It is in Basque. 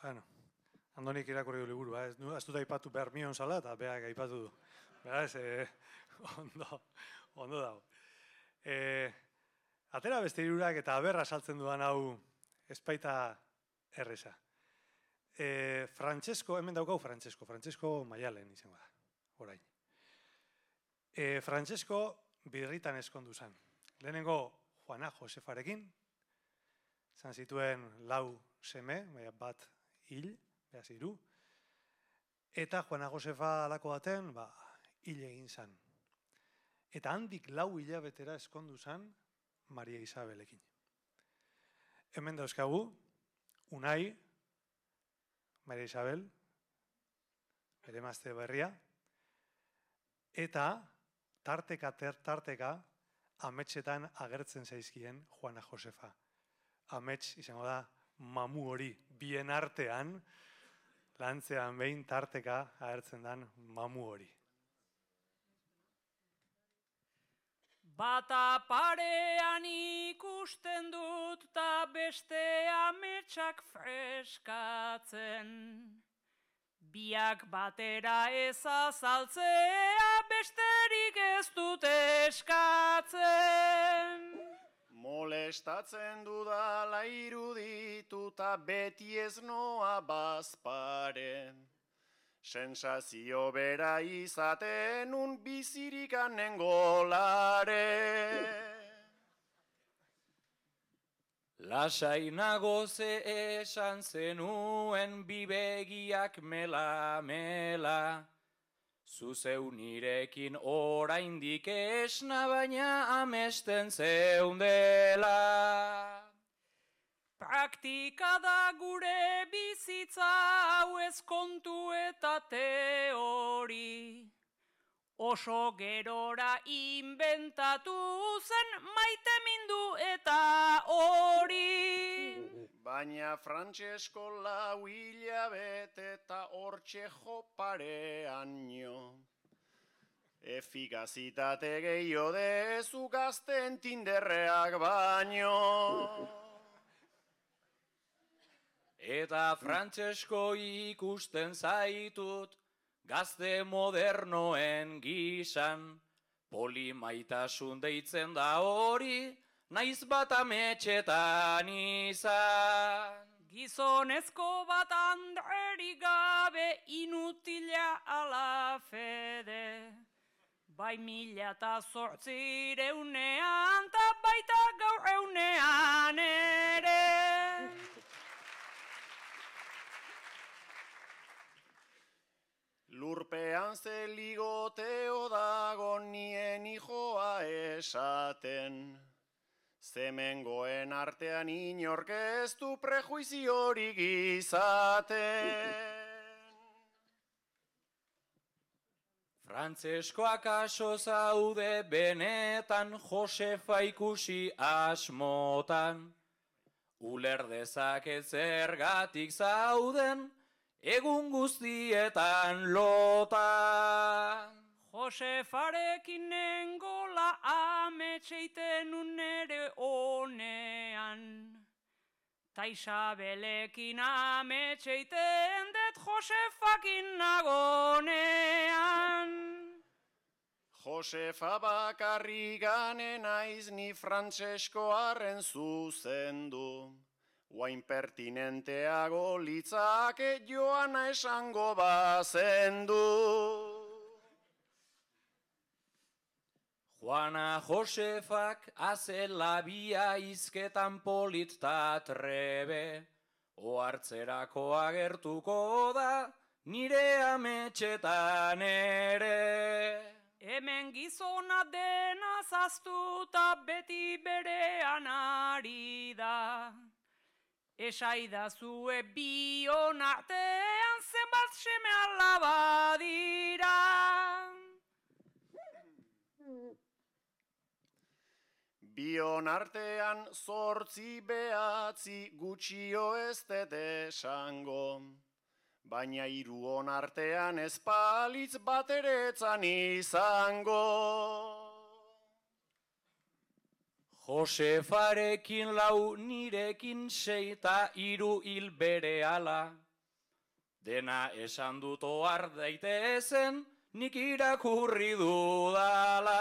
Bueno, Andonik irakurri du liburu, ez dut aipatu Bermion zala, eta beak aipatu du. Beraz, ondo dago. Atera beste hirurak eta aberra saltzen dudan hau espaita erreza. Francesco, hemen daukau Francesco Maialen izango da, orain. Francesco birritan eskondu zen. Lehenengo Juana Josefarekin, zan zituen 4 seme, bat hil, behaz 3, eta Juana Josefa alako baten, hil egin zen. Eta handik 4 hilabetera eskondu zen Maria Isabelekin. Hemen dauzkagu, Unai, Maria Isabel, bere emazte berria, eta tarteka ametsetan agertzen zaizkien Juana Josefa. Amets izango da mamu hori, bien artean, lantzean behin tarteka agertzen den mamu hori. Bata parean ikusten dut ta beste ametsak freskatzen. Biak batera ez azaltzea besterik ez dut eskatzen. Molestatzen dudala irudituta beti ez noa bazpare. Sensazio bera izaten un bizirikanen golare. Lasainago ze esan zenuen bibegiak mela. Zuzeu nirekin oraindik esna baina amesten zeundela. Praktika da gure bizitza hau ez kontu eta teori. Oso gerora inventatu zen maite mindu eta hori. Baina Francesco 4 hilabete eta hortxe joparean nio. Efikazitate gehiago dezu gazten tinderreak baino. Eta Francesco ikusten zaitut, gazte modernoen gisan, polimaitasun deitzen da hori, naiz bat ametxetan izan. Gizonezko bat andrerik gabe inutila ala fede. Bai 1800ean ta baita gaur eunean ere. Lurpean ze ligoteo dago nien hijoa esaten. Zemengoen artean inork ez du prejuiziorik izaten. Frantzeskoak aso zaude benetan Josefa ikusi asmotan. Uler dezaket zergatik zauden egun guztietan lotan. Josefarekin nengola ametseiten unere honean. Ta Isabelekin ametseiten det Josefakin nagonean. Josefa bakarriganen naiz ni Francescoaren zuzendu. Guain pertinenteago litzake Joana esango bazendu. Juana Josefak azela bia izketan polit ta trebe, ohartzerako agertuko da nire ametxetan ere. Hemen gizona dena zaztuta beti berean ari da. Esaidazue bion artean zenbat seme alaba dira. Bion artean 8 9 gutxio ez dut esango. Baina 3 artean ez palitz bateretzan izango. Josefarekin 4, nirekin 6 ta 3 hil berehala. Dena esan dut ohar daitezen, nik irakurri dudala.